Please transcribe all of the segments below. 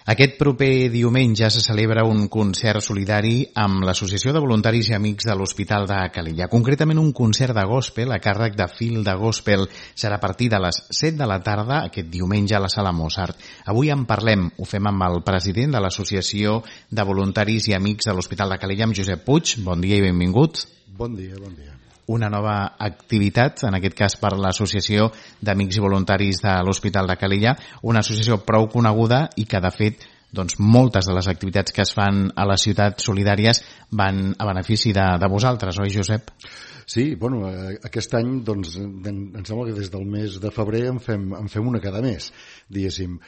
Aquest proper diumenge se celebra un concert solidari amb l'Associació de Voluntaris i Amics de l'Hospital de Calella. Concretament un concert de gospel a càrrec de Fil de Gospel. Serà a partir de les 7 de la tarda aquest diumenge a la Sala Mozart. Avui en parlem, ho fem amb el president de l'Associació de Voluntaris i Amics de l'Hospital de Calella, amb Josep Puig. Bon dia i benvingut. Bon dia, bon dia. Una nova activitat, en aquest cas per l'Associació d'Amics i Voluntaris de l'Hospital de Calella, una associació prou coneguda i que, de fet, doncs, moltes de les activitats que es fan a les ciutats solidàries van a benefici de vosaltres, oi, Josep? Sí, bueno, aquest any, doncs, em sembla que des del mes de febrer en fem una cada mes, diguéssim.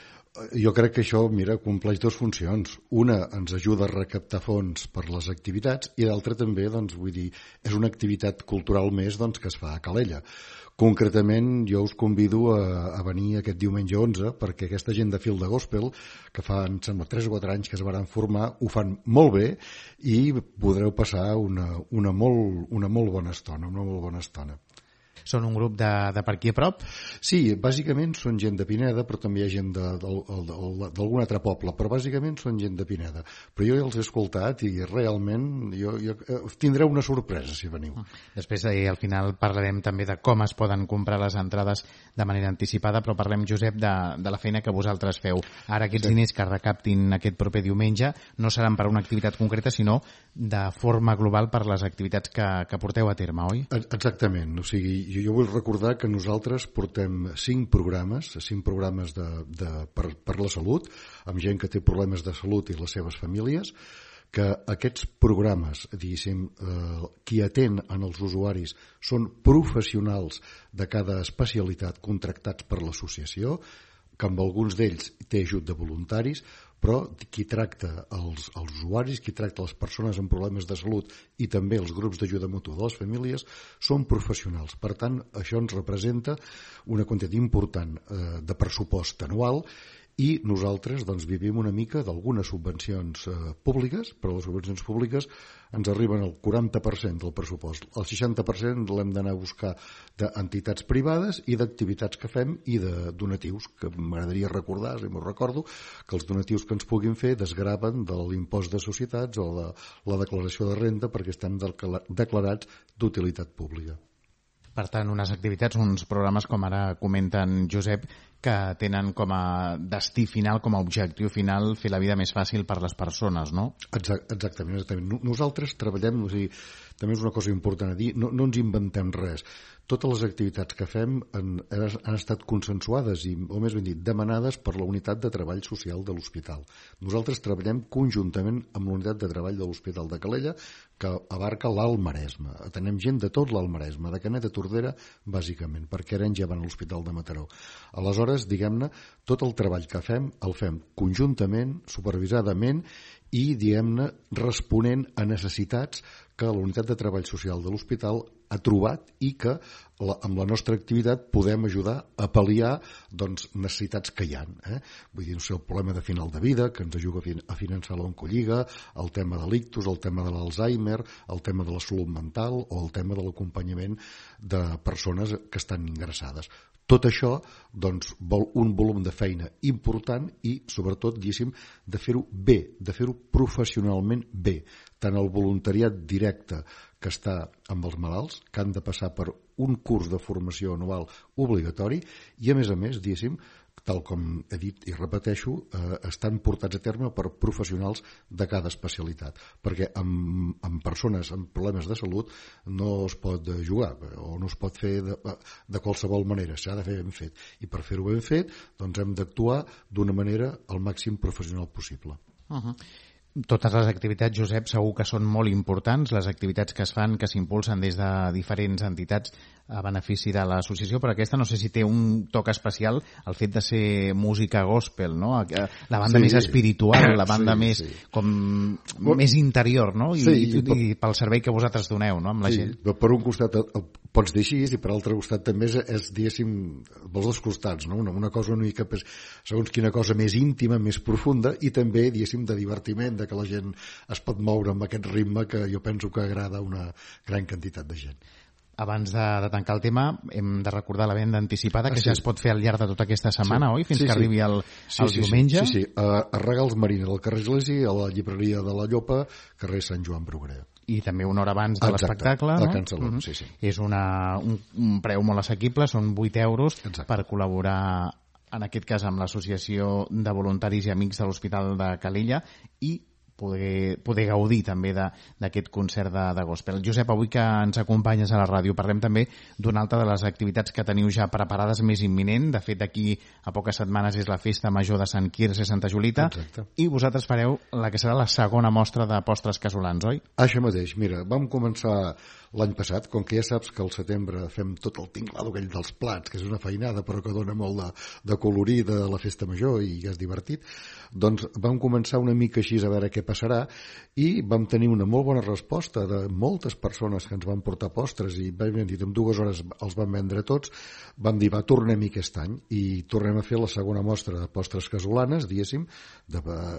Jo crec que això, mira, compleix dues funcions. Una, ens ajuda a recaptar fons per les activitats i l'altra també, doncs, vull dir, és una activitat cultural més, doncs, que es fa a Calella. Concretament, jo us convido a venir aquest diumenge 11 perquè aquesta gent de Fil de Gospel, que fa, em sembla, 3 o 4 anys que es van formar, ho fan molt bé i podreu passar una molt bona estona. Són un grup de per aquí a prop? Sí, bàsicament són gent de Pineda, però també hi ha gent d'algun altre poble, però bàsicament són gent de Pineda. Però jo ja els he escoltat i realment tindreu una sorpresa si veniu. Després, al final, parlarem també de com es poden comprar les entrades de manera anticipada, però parlem, Josep, de la feina que vosaltres feu. Ara aquests diners que recaptin aquest proper diumenge no seran per a una activitat concreta, sinó de forma global per les activitats que porteu a terme, oi? Exactament, o sigui, jo vull recordar que nosaltres portem 5 programes per la salut, amb gent que té problemes de salut i les seves famílies, que aquests programes, diguéssim, qui atén en els usuaris són professionals de cada especialitat contractats per l'associació, que amb alguns d'ells té ajut de voluntaris, però qui tracta els usuaris, qui tracta les persones amb problemes de salut i també els grups d'ajuda mútua de les famílies són professionals. Per tant, això ens representa una quantitat important de pressupost anual i nosaltres doncs, vivim una mica d'algunes subvencions públiques, però les subvencions públiques ens arriben al 40% del pressupost. El 60% l'hem d'anar a buscar d'entitats privades i d'activitats que fem i de donatius, que m'agradaria recordar, si m'ho recordo, que els donatius que ens puguin fer desgraven de l'impost de societats o de la declaració de renda perquè estem declarats d'utilitat pública. Per tant, unes activitats, uns programes, com ara comenten Josep, que tenen com a destí final, com a objectiu final, fer la vida més fàcil per les persones, no? Exactament. Nosaltres treballem, o sigui, també és una cosa important a dir, no ens inventem res. Totes les activitats que fem han estat consensuades o més ben dit, demanades per la unitat de treball social de l'hospital. Nosaltres treballem conjuntament amb la unitat de treball de l'Hospital de Calella, que abarca l'Alt Maresme. Atenem gent de tot l'Alt Maresme, de Canet a Tordera, bàsicament, perquè ara ja van a l'Hospital de Mataró. Aleshores, diguem-ne, tot el treball que fem, el fem conjuntament, supervisadament i, diguem-ne, responent a necessitats que la unitat de treball social de l'hospital ha trobat i que amb la nostra activitat podem ajudar a pal·liar doncs, necessitats que hi ha. Vull dir, el problema de final de vida, que ens ajuda a finançar l'oncolliga, el tema de l'ictus, el tema de l'Alzheimer, el tema de la salut mental o el tema de l'acompanyament de persones que estan ingressades. Tot això doncs, vol un volum de feina important i, sobretot, diguéssim, de fer-ho bé, de fer-ho professionalment bé. Tant el voluntariat directe que està amb els malalts, que han de passar per un curs de formació anual obligatori i, a més, diguéssim, tal com he dit i repeteixo, estan portats a terme per professionals de cada especialitat, perquè amb persones amb problemes de salut no es pot jugar o no es pot fer de qualsevol manera, s'ha de fer ben fet. I per fer-ho ben fet, doncs hem d'actuar d'una manera al màxim professional possible. Totes les activitats, Josep, segur que són molt importants, les activitats que es fan, que s'impulsen des de diferents entitats a benefici de l'associació, però aquesta no sé si té un toc especial el fet de ser música gospel, no? La banda més espiritual, la banda més més interior, no? I pel servei que vosaltres doneu, no? Amb la gent. Per un costat pots dir així i per l'altre costat també és diguéssim, pels dos costats, no? Una cosa una mica, segons quina cosa més íntima, més profunda i també, diguéssim, de divertiment, que la gent es pot moure amb aquest ritme que jo penso que agrada a una gran quantitat de gent. Abans de tancar el tema, hem de recordar la venda anticipada, que ja es pot fer al llarg de tota aquesta setmana, oi? Fins que arribi el diumenge. Sí. A Regals Marina, al carrer Església, a la llibreria de la Llopa, carrer Sant Joan Bruguera. I també una hora abans de l'espectacle, no? A Can Salom, sí. És un preu molt assequible, són 8 euros per col·laborar, en aquest cas, amb l'Associació de Voluntaris i Amics de l'Hospital de Calella i poder gaudir també d'aquest concert de gospel. Josep, avui que ens acompanyes a la ràdio, parlem també d'una altra de les activitats que teniu ja preparades més imminent. De fet, d'aquí a poques setmanes és la Festa Major de Sant Quirze i Santa Julita. Exacte. I vosaltres fareu la que serà la segona mostra de postres casolans, oi? Això mateix. Mira, vam començar l'any passat, com que ja saps que al setembre fem tot el tinglado aquell dels plats, que és una feinada però que dona molt de colorir de la Festa Major i és divertit, doncs vam començar una mica així a veure què passarà i vam tenir una molt bona resposta de moltes persones que ens van portar postres i vam dir, en 2 hores els vam vendre tots. Vam dir, tornem-hi aquest any i tornem a fer la segona mostra de postres casolanes, diguéssim.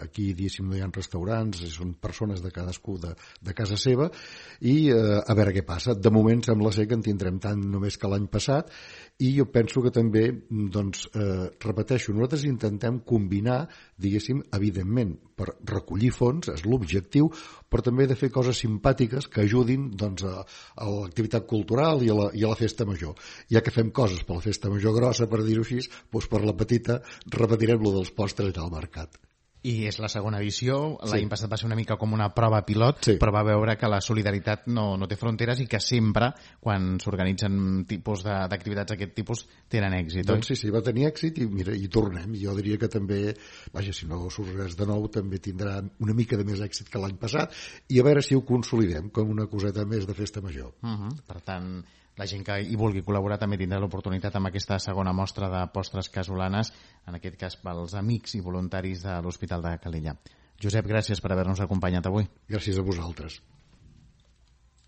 Aquí, diguéssim, no hi ha restaurants, són persones de cadascú de casa seva i a veure què passa. De moment sembla ser que en tindrem tant només que l'any passat i jo penso que també, doncs, repeteixo, nosaltres intentem combinar, diguéssim, evidentment, per recollir fons, és l'objectiu, però també de fer coses simpàtiques que ajudin, doncs, a l'activitat cultural i a la festa major. Ja que fem coses per la festa major grossa, per dir-ho així, doncs per la petita repetirem lo dels postres al mercat. I és la segona edició, l'any passat va ser una mica com una prova pilot, però va veure que la solidaritat no té fronteres i que sempre, quan s'organitzen tipus d'activitats d'aquest tipus, tenen èxit, doncs sí, va tenir èxit i mira, hi tornem. Jo diria que també, vaja, si no surt res de nou, també tindrà una mica de més èxit que l'any passat i a veure si ho consolidem com una coseta més de festa major. Per tant, la gent que hi vulgui col·laborar també tindrà l'oportunitat amb aquesta segona mostra de postres casolanes, en aquest cas pels amics i voluntaris de l'Hospital de Calella. Josep, gràcies per haver-nos acompanyat avui. Gràcies a vosaltres.